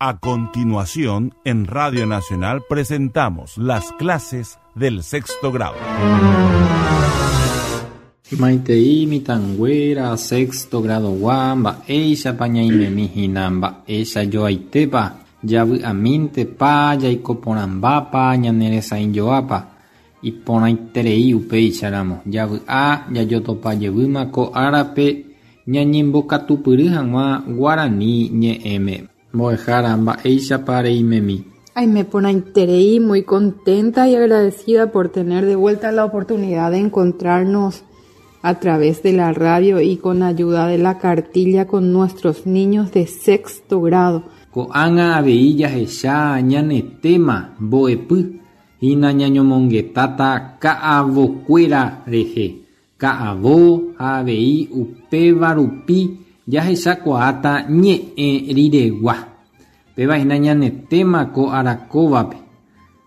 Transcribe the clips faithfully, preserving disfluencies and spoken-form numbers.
A continuación, en Radio Nacional presentamos las clases del sexto grado. Maitei mitãnguéra sexto grado-gua mba'éichapa ñaimemi hína mba'eichajoaitépa javy'amíntepa jaikoporãmbápa ñaneresãijoápa iporãiterei upéicharamo javy'a jajotopajevýma ko árape ñañembokatupyry hag̃ua guarani ñe'ẽme. Mbo'ehára mba'éichapa reimemi. Aime porãiterei, muy contenta y agradecida por tener de vuelta la oportunidad de encontrarnos a través de la radio y con ayuda de la cartilla con nuestros niños de sexto grado. Ko'ág̃a avei jahecha ñane tema mbo'epy hína ñañomongetáta ka'avokuéra rehe. Ka'avo ha avei upéva rupi jahechakuaáta ñe'ẽ riregua. Péva hína ñane tema ko arakóvape.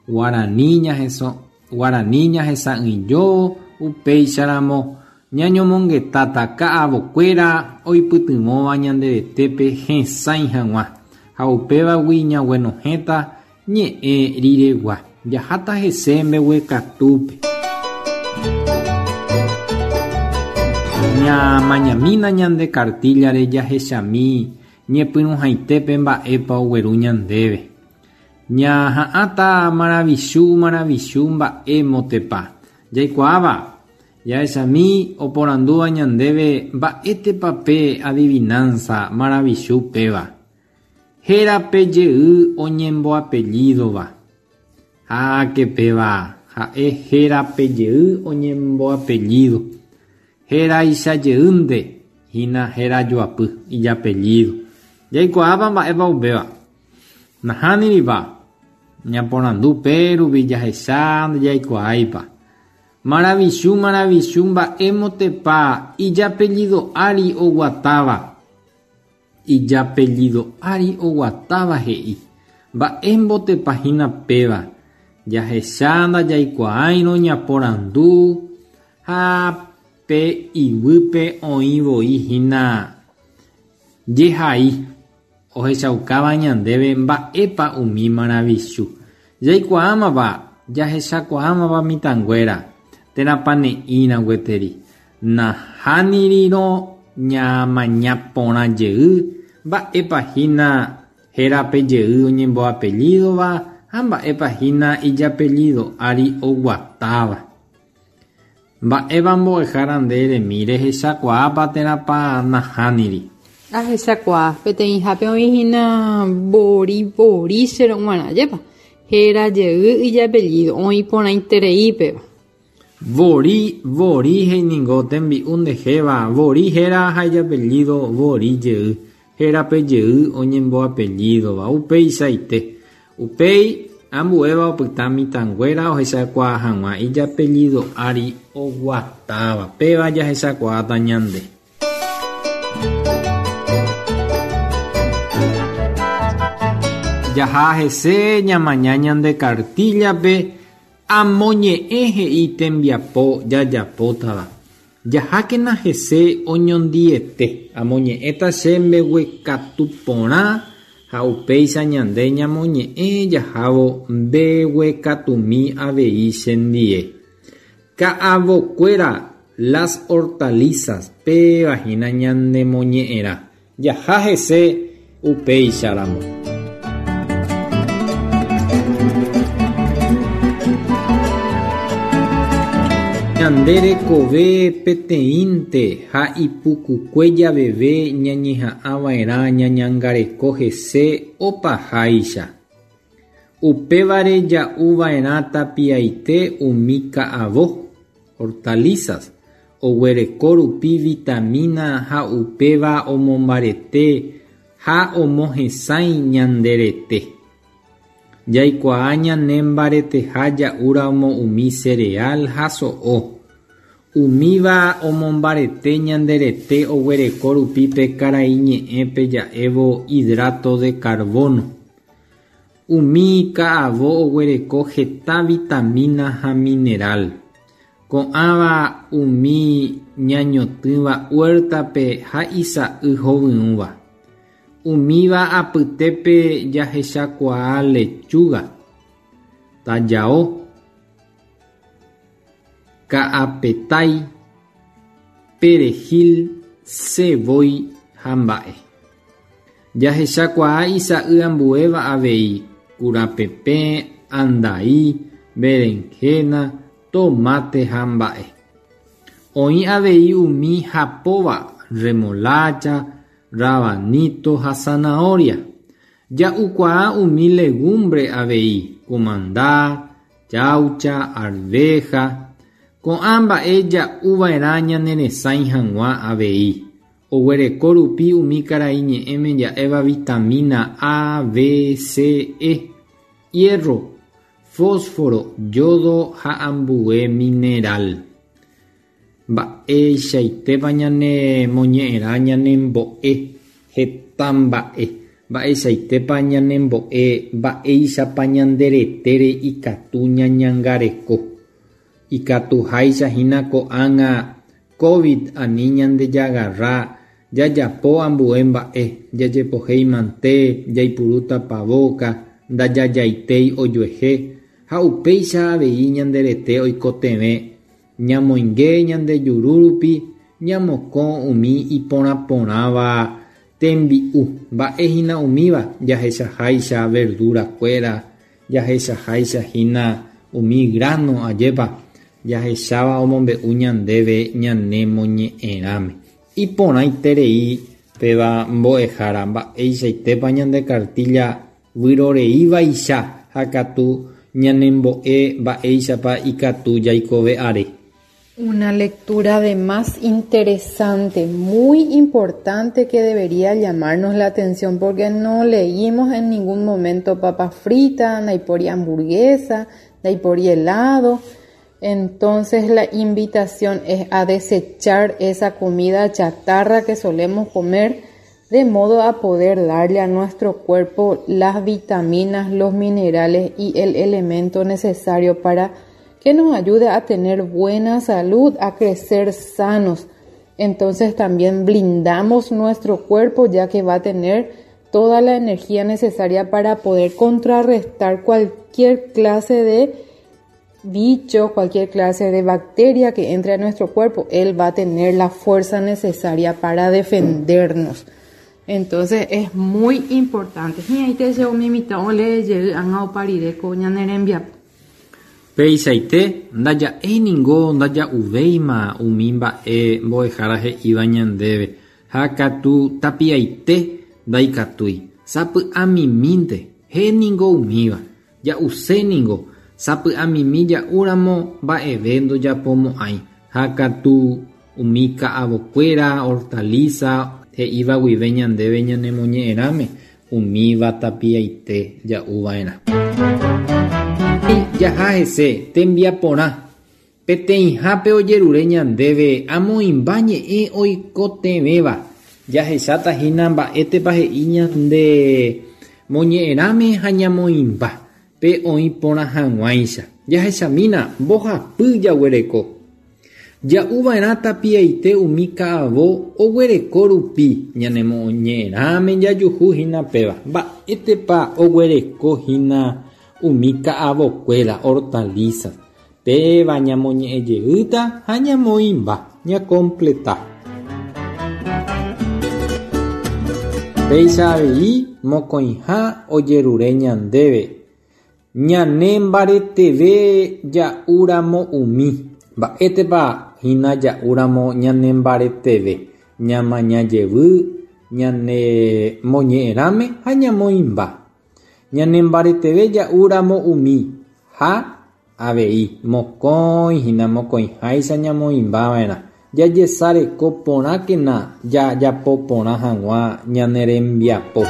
Guarani ñaheso, guarani ñahesa'ỹijo upéicharamo ñañomongetáta ka'avokuéra oipytyvõva ñanderetépe hesãi hag̃ua ha upévagui ñaguenohẽta ñe'ẽ riregua. Jaháta hese mbeguekatúpe. Ñamañamína ñande cartillare jahechami ñepyrũhaitépe mba'épa ogueru ñandéve. Ñaha'ãta maravichu maravichu mba'émotepa. Jaikuaáva jahechami oporandúva ñandéve mba'étepa pe adivinanza maravichu péva. Hérape jey oñemboapellídova. Háke péva ha'e hérape jey oñemboapellido. Héraicha jeýnte hína héra joapy ijapellido. Jaikuaápa mba'épa upéva. Nahániripa ñaporandu pérupi jahecha ndajaikuaáipa. Maravichu maravichu mba'émotepa ijapellido ári oguatáva. Ijapellido ári oguatáva he'i. Mba'émbotepa hína péva. Jahecha ndajaikuaáirõ ñaporandu ha pe iguýpe oĩvoi hína jehai ohechaukáva ñandéve mba'épa umi maravichu. Jaikuaámava jahechakuaámava mitãnguéra térãpa ne'ĩra gueteri. Nahánirirõ ñamaña porã jey mba'épa hína hérape jey oñemboapellídova ha mba'épa hína ijapellido ári oguatáva. Mba'épa mbo'ehára nde remi rehechakuaápa térãpa nahániri. Ahechakuaa peteĩhápe oĩ hína vori vori cherog̃uarã jépa. Héra jey ijapellido oĩ porãiterei péva. Vori vori he'iningo tembi'u ndejéva vori héra ha ijapellido vori jey. Hérape jey oñemboapellídova upeichaite. Upéi ambuéva opyta mitãnguéra ohechakuaa hag̃ua ijapellido ári oguatáva. Péva jahechakuaáta ñande. Jaha hese ñamaña ñande cartillape amoñe'ẽ he'i tembiapo jajapótava. Jahákena hese oñondiete. Amoñe'ẽta che mbeguekatu porã ha upéicha ñande ñamoñe'ẽ jahávo mbeguekatumi avei chendie. Ka'avokuéra las hortalizas péva hína ñanemoñe'ẽrã. Jaha hese upéicharamo. Ñande rekove peteĩnte ha ipukukue javeve ñañeha'ãva'erã ñañangareko hese opaháicha. Upévare ja'uva'erã tapiaite umi ka'avo hortalizas oguereko rupi vitamina ha upéva omombarete ha omohesãi ñande rete. Jaikuaa ñane mbareteha ja'úramo umi cereal ha so'o. Umíva omombarete ñande rete oguereko rupi pe karai ñe'ẽpe ja'évo hidrato de carbono. Umi ka'avo oguereko heta vitamina ha mineral. Ko'ãva umi ñañotỹva huertape ha isa'y hovyũva. Umíva apytépe jahechakuaa lechuga, tajao, ka'apetái, perejil, sevói ha mba'e. Jahechakuaa isa'y ambuéva avei kurapepẽ, andai, berenjena, tomate ha mba'e. Oĩ avei umi hapóva remolacha, rabanito ha zanahoria. Ja'ukuaa umi legumbre avei kumanda, chaucha, arveja. Ko'ã mba'e ja'uva'erã ñaneresãi hag̃ua avei. Oguereko rupi umi karai ñe'ẽme ja'éva vitamina A, B, C, E, hierro, fósforo, yodo ha ambue mineral. Mba'eichaitépa ñanemoñe'ẽrã ñanembo'e heta mba'e. Mba'eichaitépa ñanembo'e mba'éichapa ñanderetére ikatu ñañangareko. Ikatuháichahína ko'ág̃a COVID ani ñandejagarra jajapo ambue mba'e jajepohéimante jaipuru tapavóka ndajajaitéi ojuehe ha upéicha avei ñanderete oikotevẽ ñamoinge ñandejuru rupi ñamokõ umi iporãporãva tembi'u mba'ehína umíva jahechaháicha verdurakuéra jahechaháichahína umi grano ajépa jahecháva omombe'u ñandéve ñanemoñe'ẽrãme. Iporãiterei péva mbo'ehára mba'eichaitépa ñande cartilla vyroreívaicha ha katu ñanembo'e mba'éichapa ikatu jaikove are. Una lectura de más interesante, muy importante que debería llamarnos la atención porque no leímos en ningún momento papa frita, naipori hamburguesa, naipori helado. Entonces la invitación es a desechar esa comida chatarra que solemos comer de modo a poder darle a nuestro cuerpo las vitaminas, los minerales y el elemento necesario para que nos ayude a tener buena salud, a crecer sanos. Entonces también blindamos nuestro cuerpo ya que va a tener toda la energía necesaria para poder contrarrestar cualquier clase de bicho, cualquier clase de bacteria que entre a nuestro cuerpo. Él va a tener la fuerza necesaria para defendernos. Entonces es muy importante. Peisaite ndaja'éi ningo ndaja'uvéima umi mba'e mbo'ehára he'íva ñandéve ha katu tapiaite ndaikatúi sapy'amimínte héningo umíva ja'uséningo sapy'amimi ja'úramo mba'eve ndojapomo'ãi ha katu umi ka'avokuéra hortaliza he'íva guive ñandéve ñanemoñe'ẽrãme umíva tapiaite ja'uva'erã. Jaha hese tembiaporã peteĩhápe ojerure ñandéve amoĩmba ñe'ẽ oikotevẽva jahechatahína mba'étepa he'i ñande moñe'ẽrãme ha ñamoĩmba pe oĩ porã hag̃uáicha jahechamína mbohapy jaguereko ja'uva'erã tapiaite umi ka'avo oguereko rupi ñanemoñe'ẽrãme jajuhúhína péva mba'étepa oguerekohína umi ka'avokuéra hortaliza péva ñamoñe'ẽjeýta ha ñamoĩmba ñacompleta. Péicha avei mokõiha ojerure ñandéve ñanembareteve ja'úramo umi mba'étepa hína ja'úramo ñanembareteve ñamañajevy ñanemoñe'ẽrãme ha ñamoĩmba ñanembareteve ja'úramo umi ha avei mokõi hína mokõiháicha ñamoĩmbava'erã jajesareko porãkena jajapo porã hag̃ua ñane rembiapo.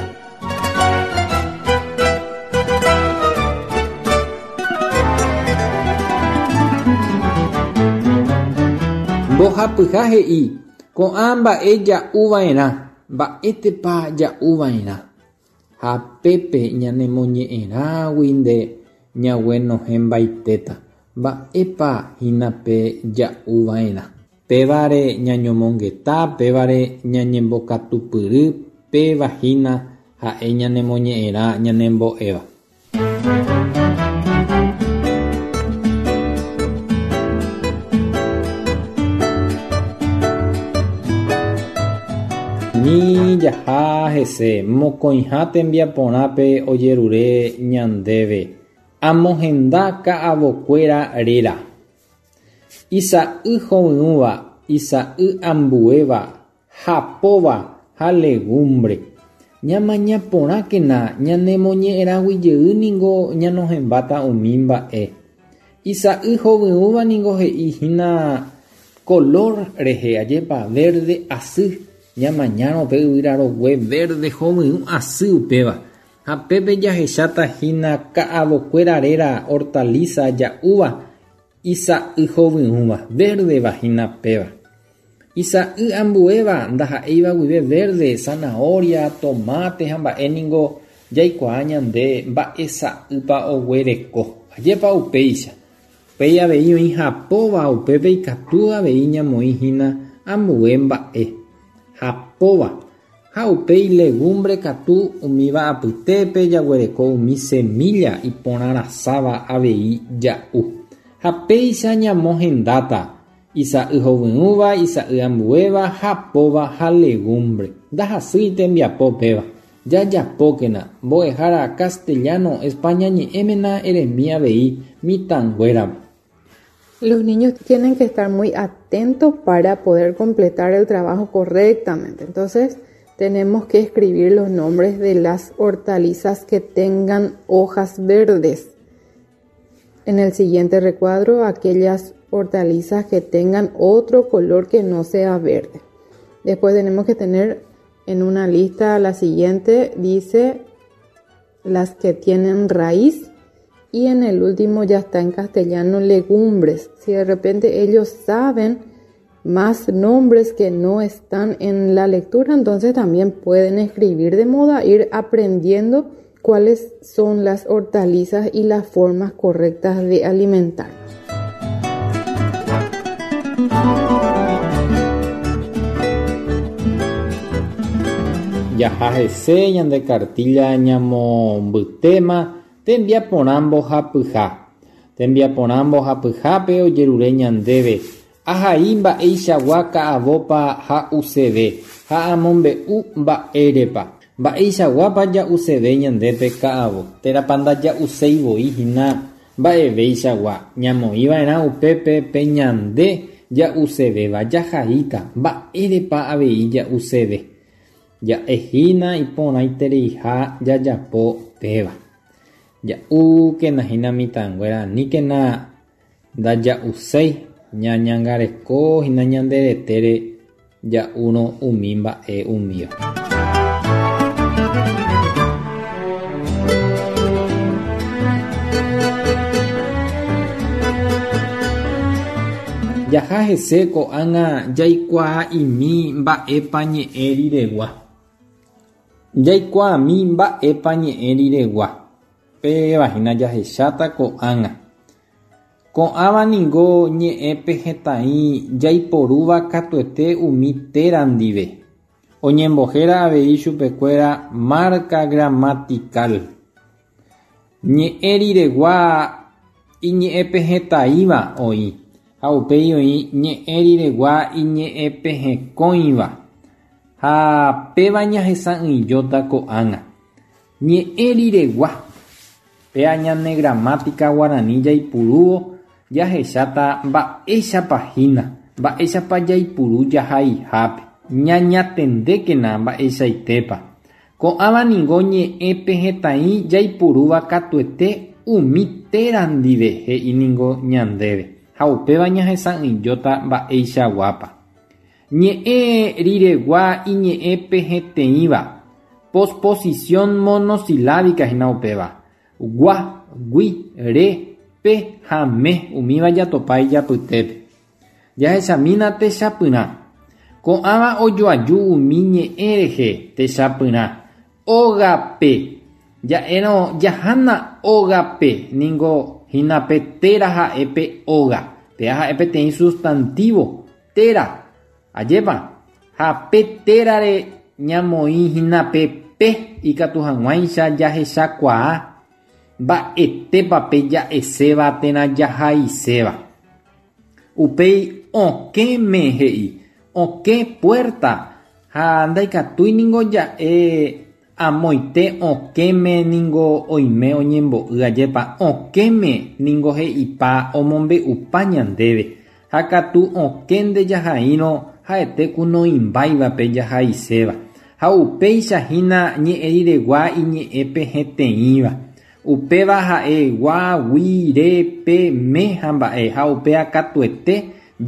Mbohapyha he'i ko'ã mba'e ja'uva'erã mba'étepa ja'uva'erã ha pépe ñanemoñe'ẽrãgui nde ñaguenohẽmbaitéta mba'épa hína pe ja'uva'erã pévare ñañomongeta pévare ñañembokatupyry Péva hína ha'e ñanemoñe'ẽrã ñanembo'éva. Ni jaha hese mokõiha tembiaporãpe ojerure ñandéve amohenda ka'avokuéra réra. Isa'y hovyũva, isa'y ambuéva, hapóva ha legumbre. Ñamaña porãkena ñanemoñe'ẽrãguijey niko ñanohẽmbáta umi mba'e. Isa'y hovyũva niko he'íhina color rehe ajépa verde asy. Ñamañárõ pe yvyrarogue verde hovyũ asy upéva. Ha pépe jahecháta hína ka'avokuéra réra hortaliza ja'úva isa'y hovyũva verdeva hína péva. Isa'y ambuéva ndaha'éiva guive verde, zanahoria, tomate ha mba'e niko jaikuaa ñande mba'e sa'ýpa oguereko. Ajépa upéicha. Upéi avei oĩ hapóva upépe ikatu avei ñamoĩ hína ambue mba'e. Hapóva. Ha upéi legumbre katu umíva apytépe jaguereko umi semilla iporãrasáva avei ja'u. Ha péicha ñamohendáta isa'y hovyũva, isa'y ambuéva, hapóva ha legumbre. Ndahasýi tembiapo péva. Jajapókena mbo'ehára castellano España ñe'ẽmena eremi avei mitãnguérape. Los niños tienen que estar muy atentos para poder completar el trabajo correctamente. Entonces, tenemos que escribir los nombres de las hortalizas que tengan hojas verdes. En el siguiente recuadro, aquellas hortalizas que tengan otro color que no sea verde. Después tenemos que tener en una lista la siguiente, dice las que tienen raíz. Y en el último ya está en castellano legumbres. Si de repente ellos saben más nombres que no están en la lectura, entonces también pueden escribir de modo a ir aprendiendo cuáles son las hortalizas y las formas correctas de alimentarnos. Jaha hese ñande cartilla ñamombytéma tembiaporã mbohapyha. Tembiaporã mbohapyhápe ojerure ñandéve. Ahai mba'eichagua ka'avópa ha'useve ha amombe'u mba'érepa. Mba'eichaguápa ja'useve ñandépe ka'avo. Térãpa ndaja'useivoi hína mba'eveichagua. Ñamoĩva'erã upépe pe ñande ja'usevéva jahaíta mba'érepa avei ja'useve. Ja'ehína iporãitereiha jajapo péva. Ja'úkena hína mitãnguéra aníkena ndaja'uséi ñañangareko hína ñande retére ja'úrõ umi mba'e umíva. Jaha hese ko'ág̃a jaikuaa'imi mba'épa ñe'ẽ riregua. Jaikuaami mba'épa ñe'ẽ riregua. Péva hína jahecháta ko'ág̃a. Ko'ãva niko ñe'ẽpe hetãi jaiporúva katuete umi téra ndive. Oñembohéra avei chupekuéra marca gramatical. Ñe'ẽ riregua iñe'ẽpehẽtaĩva oĩ ha upéi oĩ ñe'ẽ riregua iñe'ẽpehẽkõiva ha péva ñahesa'ỹijóta ko'ág̃a. Ñe'ẽ riregua péa ñane gramática guarani jaipurúvo jahecháta mba'éichapa hína, mba'éichapa jaipuru jahaihápe. Ñañatendékena mba'eichaitépa. Ko'ãva niko ñe'ẽpehẽtaĩ jaipurúva katuete umi téra ndive he'i niko ñandéve ha upéva ñahesa'ỹijóta mba'eichaguápa. Ñe'ẽ riregua iñe'ẽpehẽteĩva posposición monosilábica hína upéva. Gua, gui, re, pe ha me umíva jatopa ijapytépe. Jahechamína techapyrã. Ko'ãva ojoaju umi ñe'ẽ rehe techapyrã. Ógape. Ja'érõ jahána ógape niko hína pe téra ha'e pe óga. Péa ha'e peteĩ sustantivo téra. Ajépa. Ha pe térare ñamoĩ hína pe pe ikatu hag̃uáicha jahechakuaa mba'etépa pe ja'eséva térã jahaiséva. Upéi okẽme he'i okẽ puerta ha ndaikatúi ningo ja'e amoite okẽme ningo oime oñembo'y ajépa okẽme ningo he'ipa omombe'upa ñandéve ha katu okẽ ndejahaírõ ha'ete ku noĩmbáivape jahaiséva ha upéicha hína ñe'ẽ riregua iñe'ẽpehẽteĩva upéva ha'e gua, gui, re, pe, me ha mba'e ha upéva katuete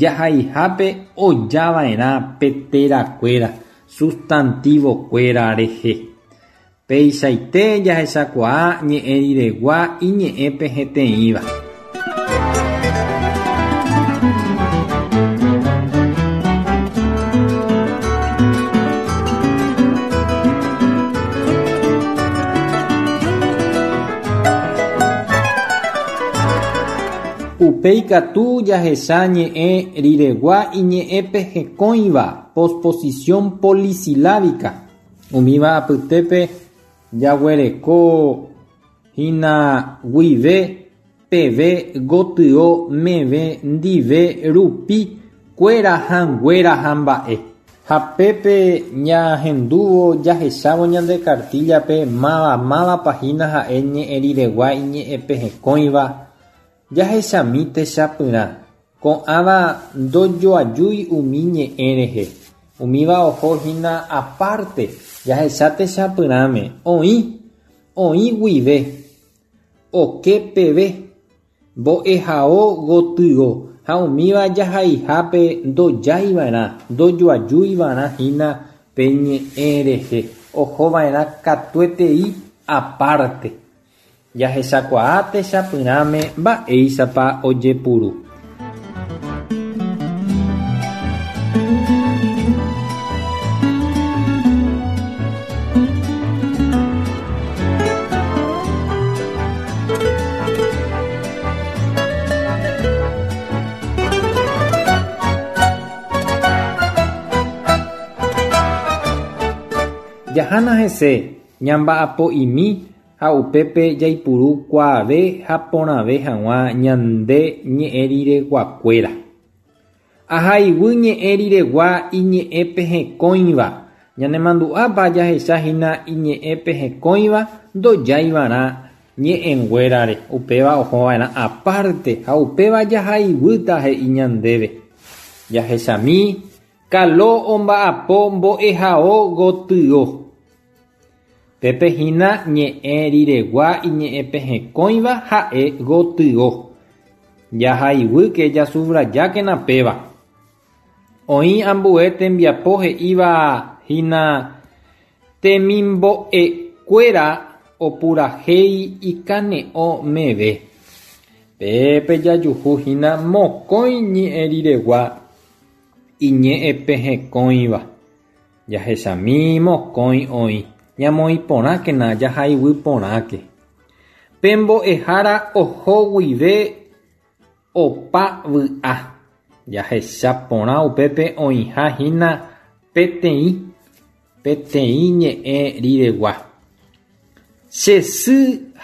jahaihápe ojava'erã pe terakuéra sustantivokuéra rehe. Peichaite jahechakuaa ñe'ẽ riregua iñe'ẽpehẽteĩva. Upéi katu jahecha ñe'ẽ riregua iñe'ẽpehẽkõiva posposición polisilábica. Umíva apytépe jaguereko hína guive, peve, gotyo, meve, ndive, rupi, kuéra ha nguéra ha mba'e. Ha pépe ñahendúvo jahechávo ñande cartilla-pe máva mávapa hína ha'e ñe'ẽ riregua iñe'ẽpehẽkõiva jahechami techapyrã. Ko'ãva ndojoajúi umi ñe'ẽ rehe. Umíva oho hína aparte jahecha techapyrãme oĩ, oĩ guive, oke peve, mbo'ehao gotyo ha umíva jahaihápe ndojaiva'erã, ndojoajuiva'erã hína pe ñe'ẽ rehe ohova'erã katuetei aparte. Jahechakuaa techapyrãme mba'éichapa ojepuru. Jahána hese ñamba'apo'imi ha upépe jaipuru kuaave ha porãve hag̃ua ñande ñe'ẽ rireguakuéra. Ahaiguy ñe'ẽ riregua iñe'ẽpehẽkõiva. Ñanemandu'ápa jahechahína iñe'ẽpehẽkõiva ndojaiva'erã ñe'ẽnguérare upéva ohova'erã aparte ha upéva jahaiguýta he'i ñandéve. Jahechami Kalo omba'apo mbo'ehao gotyo. Pépe hína ñe'ẽ riregua iñe'ẽpehẽkõiva ha'e gotyo. Jahaiguýke jasubrajákena péva. Oĩ ambue tembiapo he'íva hína temimbo'ekuéra opurahéi ikane'õ meve. Pépe jajuhu hína mokõi ñe'ẽ riregua iñe'ẽpehẽkõiva. Jahechami mokõi oĩ. Ñamoĩ porãkena jahaiguy porãke. Pe mbo'ehára oho guive opa vy'a. Jahecha porã upépe oĩha hína peteĩ, peteĩ ñe'ẽ riregua. Che sy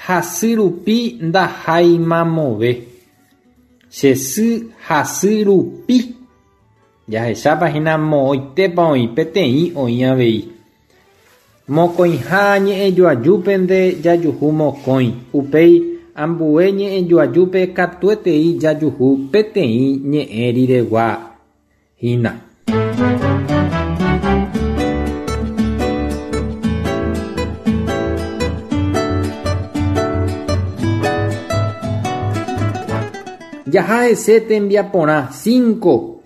hasy rupi ndaháimamove. Che sy hasy rupi. Jahechápa hína moõitépa oĩ peteĩ oĩ avei. Mokõiha ñe'ẽjoajúpente jajuhu mokõi. Upéi ambue ñe'ẽjoajúpe katuetei jajuhu peteĩ ñe'ẽ riregua hína. Jaha hese tembiaporã cinco.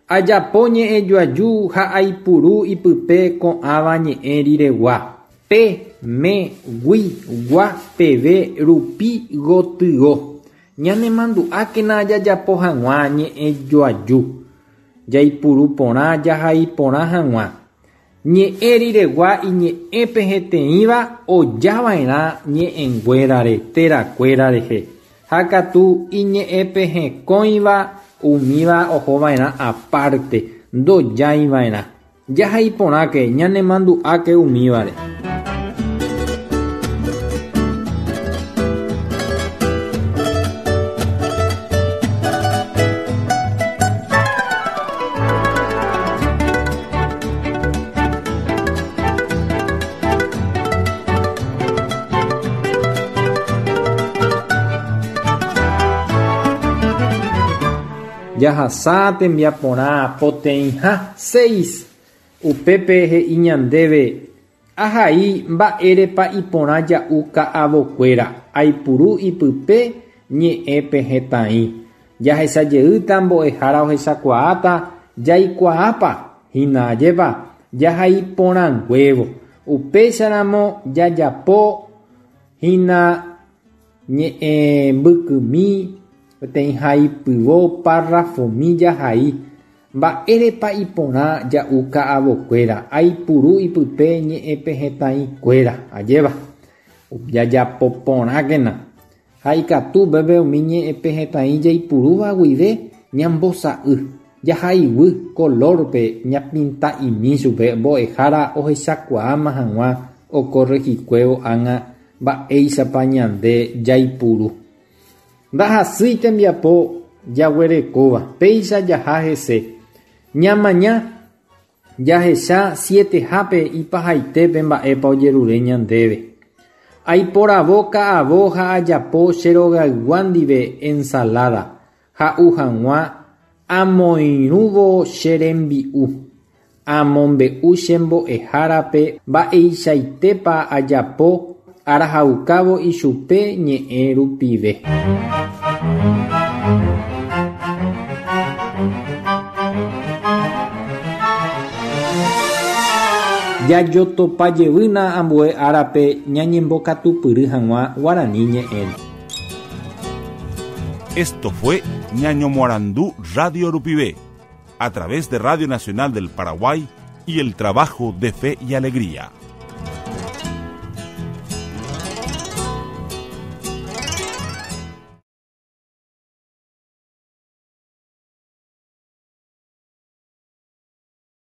Ajapo ñe'ẽjoaju ha aipuru ipype ko'ãva ñe'ẽ riregua. Pe, me, gui, gua, peve, rupi, gotyo. Ñanemandu'ákena jajapo hag̃ua ñe'ẽjoaju. Jaipuru porã jahai porã hag̃ua. Ñe'ẽ riregua iñe'ẽpehẽteĩva ojava'erã ñe'ẽnguérare terakuéra rehe. Ha katu iñe'ẽpehẽkõiva umíva ohova'erã aparte ndojaiva'erã. Jahai porãke ñanemandu'áke umívare. Jahasa tembiaporã poteĩha seis upépe he'i ñandéve ahai mba'érepa iporã ja'u ka'avokuéra aipuru ipype ñe'ẽpehẽtai jahechajeýta mbo'ehára ohechakuaáta jaikuaápa hína ajépa jahaiporãnguévo upéicharamo jajapo hína ñe'ẽmbykymi peteĩ haipyvo párrafomi jahai mba'érepa iporã ja'u ka'avokuéra aipuru ipype ñe'ẽpehẽtaikuéra ajéva jajapoporãkena ha ikatu upépe umi ñe'ẽpehẽtai jaipurúva guive ñambosa'y jahaiguy colorpe ñapinta'imi chupe mbo'ehára ohechakuaáma hag̃ua okorrejikuévo ág̃a mba'éichapa ñande jaipuru. Ndahasýi tembiapo jaguerekóva péicha jaha hese ñamaña jahecha sietehápe ipahaitépe mba'épa ojerure ñandéve. Aiporavo ka'avo ha ajapo che rogaygua ndive ensalada ha'u hag̃ua amoirũvo che rembi'u. Amombe'u che mbo'ehárape mba'eichaitépa ajapo arahaukávo ichupe ñe'ẽ rupive. Jajotopajevýna ambue árape ñañembokatupyry hag̃ua guarani ñe'ẽre. Esto fue Ñañomoarandú Radio Rupive, a través de Radio Nacional del Paraguay y el trabajo de Fe y Alegría.